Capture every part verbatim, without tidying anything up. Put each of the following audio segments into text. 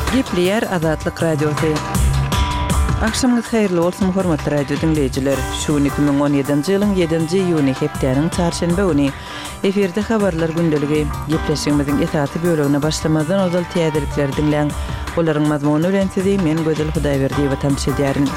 Gepleýär Azatlyk Radiosy. Agşamyňyz haýyrly bolsun, hormatly radio diňleýjiler. Şu gün iki müň on ýedinji ýylyň ýedinji iýuny, hepdäniň çarşenbe güni. Efirde habarlar gündeligi. Gepleşigimiziň esasy bölegine başlamazdan ozal täzelikleri diňläň. Olaryň mazmuny bilen sizi men Gözel Hudaýberdiýewa tanyş edýärin.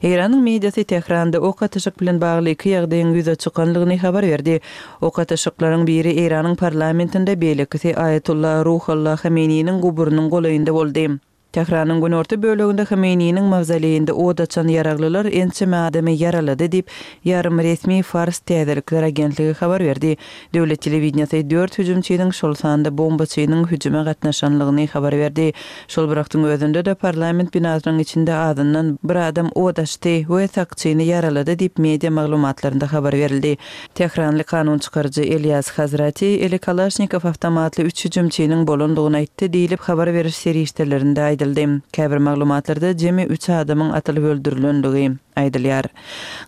Eýranyň mediasy Tähranda ok atyşyk bilen bagly iki ýagdaýyň ýüze çykanlygyny habar berdi. Ok atyşyklaryň biri Eýranyň parlamentinde, beýlekisi Aýatullah Ruhollah Homeýniniň guburynyň golaýynda boldy. Tähranyň günorta böleginde Homeýniniň mawzoleýinde od açan ýaraglylar ençeme adamy ýaralady diýip, ýarym resmi Fars täzelikler agentligi habar berdi. Döwlet telewideniýesi dört hüjümçiniň, şol sanda bombaçynyň hüjüme gatnaşanlygyny habar berdi. Şol bir wagtyň özünde-de parlament binasynyň içinde azyndan bir adam od açdy we sakçyny ýaralady diýip, media maglumatlarynda habar berildi. Tähranly kanun çykaryjy Elýas Hazrati eli Kalaşnikow awtomatly üç hüjümçiniň bolandygyny aýtdy diýlip, habar beriş serişdelerinde aýdyldy. Käbir maglumatlarda jemi üç adamyň atylyp öldürilenligi aýdylýar.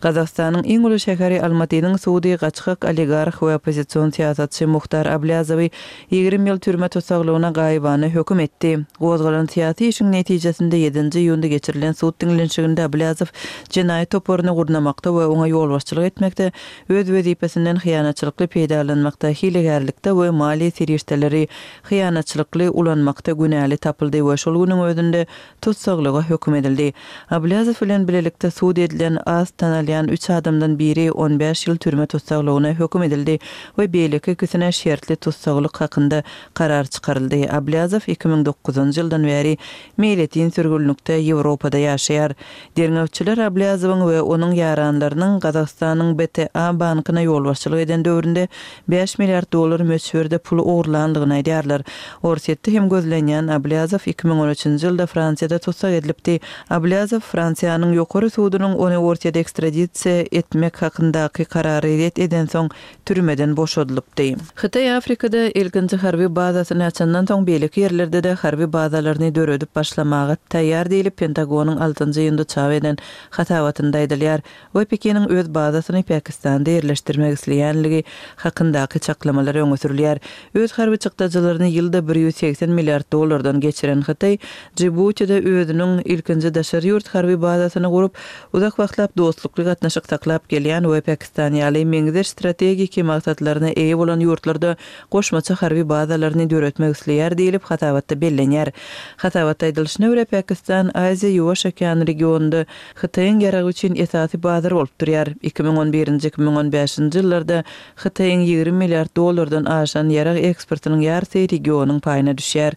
Gazagystanyň iň uly şäheri Almatynyň sudy gaçgak oligarh we oppozision syýasatçy Muhtar Ablýazowy ýigrimi ýyl türme tussaglygyna gaýybana höküm etdi. Gozgalan syýasy işiň netijesinde ýedinji iýunda geçirilen sud diňlenişiginde Ablýazow jenaýat toparyny gurnamakda we oňa ýolbaşçylyk etmekde, öz wezipesinden hyýanatçylykly peýdalanmakda, hilegärlikde we maliýe serişdeleri hyýanatçylykly ulanmakda günäli tapyldy we şol günüň özünde tussaglyga höküm edildi. Ablýazow bilen bilelikde sud edilen az tanalýan üç adamdan biri on bäş ýyl türme tussaglygyna höküm edildi we beýleki ikisine şertli tussaglyk hakynda karar çykaryldy. Ablýazow iki müň dokuzynjy ýyldan bäri meýletin sürgünlikde Ýewropada ýaşaýar. Derňewçiler Ablýazowyň we onuň ýaranlarynyň Gazagystanyň B T A bankyna ýolbaşçylyk eden döwründe bäş milliard dollar möçberde pul ogurlandygyny aýdýarlar. Orsýetde hem gözlenýän Ablýazow iki müň on üçünji ýylda Fransiýada tussag edilipdi. Ablýazow Fransiýanyň ýokary sudunyň ony Orsýete ekstradisiýa etmek hakyndaky karary ret edensoň türmeden boşadylypdy. Hytaý Afrikada ilkinji harby bazasyny açandan soň beýleki ýerlerde-de harby bazalaryny döredip başlamaga taýýar diýlip Pentagonyň altynjy iýunda çap eden hasabatynda aýdylýar we Pekiniň öz bazasyny Pakistanda ýerleşdirmek isleýänligi hakyndaky çaklamalar öňe sürülýär. Öz harby çykdajylaryny ýylda bir ýüz segsen milliard dollardan geçiren Hytaý Djibutide özüniň ilkinji daşary ýurt harby bazasyny gurup, uzak wagtlap dostlukly gatnaşyk saklap gelýän we Pakistan ýaly meňzeş strategiki maksatlaryna eýe bolan ýurtlarda goşmaça harby bazalaryny döretmek isleýär diýlip hasabatda bellenýär. Hasabatda aýdylyşyna görä Pakistan Aziýa Ýuwaş okean regionynda Hytaýyň ýaragy üçin esasy bazar bolup durýar. Iki müň on birinji, iki müň on bäşinji ýyllarda Hytaýyň ýigrimi milliard dollardan aşan ýarag eksportynyň ýarysy regionyň paýyna düşýär.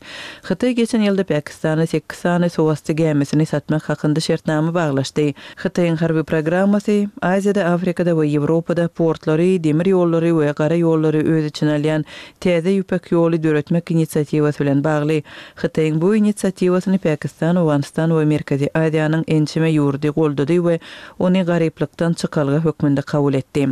Hytaý geçen ýylda Pakistana sekiz sany suwasty gämisini satmak hakynda şertnama baglaşdy. Hytaýyň harby programmasy Aziýada, Afrikada we Ýewropada portlary, demir ýollary we gara ýollary öz içine alýan täze ýüpek ýoly döretmek inisiatiwasy bilen bagly. Hytaýyň bu inisiatiwasyny Pakistan, Owganystan we Merkezi Aziýanyň ençeme ýurdy goldady we ony garyplykdan çykalga hökmünde kabul etdi.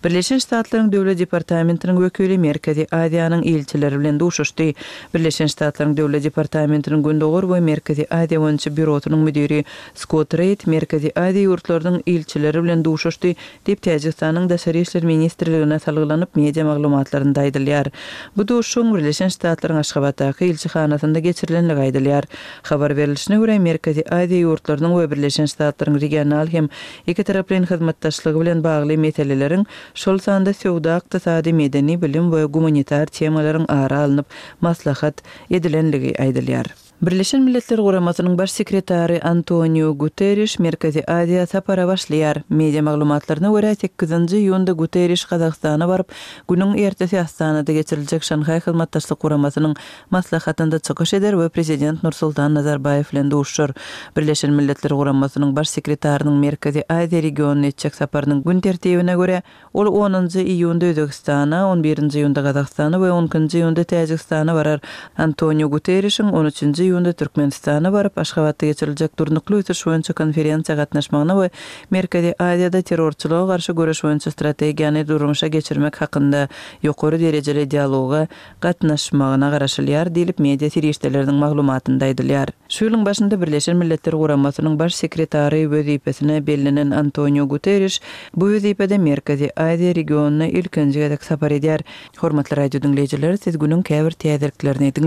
Birleşen Ştatlaryň Döwlet Departamentiniň wekili Merkezi Aziýanyň ilçileri bilen duşuşdy. Birleşen Ştatlaryň Döwlet Departamentiniň Gündogar we Merkezi Aziýa boýunça býurosynyň müdiri Skott Reid Merkezi Aziýa ýurtlarynyň ilçileri bilen duşuşdy diýip Täjigistanyň Daşary işler ministrligine salgylanyp media maglumatlarynda aýdylýar. Bu duşuşygyň Birleşen Ştatlaryň Aşgabatdaky ilçihanasynda geçirilenligi aýdylýar. Habar berilişine görä Merkezi Aziýa ýurtlarynyň we Birleşen Ştatlaryň regional hem iki taraplaýyn hyzmatdaşlygy bilen bagly meseleleriň, şol sanda söwda, ykdysady, medeni, bilim we gumanitar temalaryň ara alnyp maslahat edilenligi aýdylýar. Birleşen Milletler Guramasynyň baş sekretary Antonio Guterres Merkezi Aziýa sapara başlaýar. Media maglumatlaryna görä sekizinji iýunda Guterres Gazagystana baryp, günüň ertesi Astanada geçiriljek Şanhaý Hyzmatdaşlyk Guramasynyň maslahatynda çykyş eder we prezident Nursultan Nazarbaýew bilen duşuşar. Birleşen Milletler Guramasynyň baş sekretarynyň Merkezi Aziýa regionyna etjek saparynyň gün tertibine görä, ol onunjy iýunda Özbekistana, on birinji iýunda Gazagystana we on ikinji iýunda Täjigistana barar. Antonio Guterresiň on üçünji iýunda Türkmenistana baryp, Aşgabatda geçiriljek durnukly ösüş boýunça konferensiýa gatnaşmagyna we Merkezi Aziýada terrorçylyga garşy göreş boýunça strategiýany durmuşa geçirmek hakynda ýokary derejeli dialoga gatnaşmagyna garaşylýar diýlip media serişdeleriniň maglumatynda aýdylýar. Şu ýylyň başynda Birleşen Milletler Guramasynyň baş sekretary wezipesine bellenen Antonio Guterres bu wezipede Merkezi Aziýa regionyna ilkinji gezek sapar edýär. Hormatly radio diňleýjiler, siz günüň käbir täzeliklerini diňlediniz.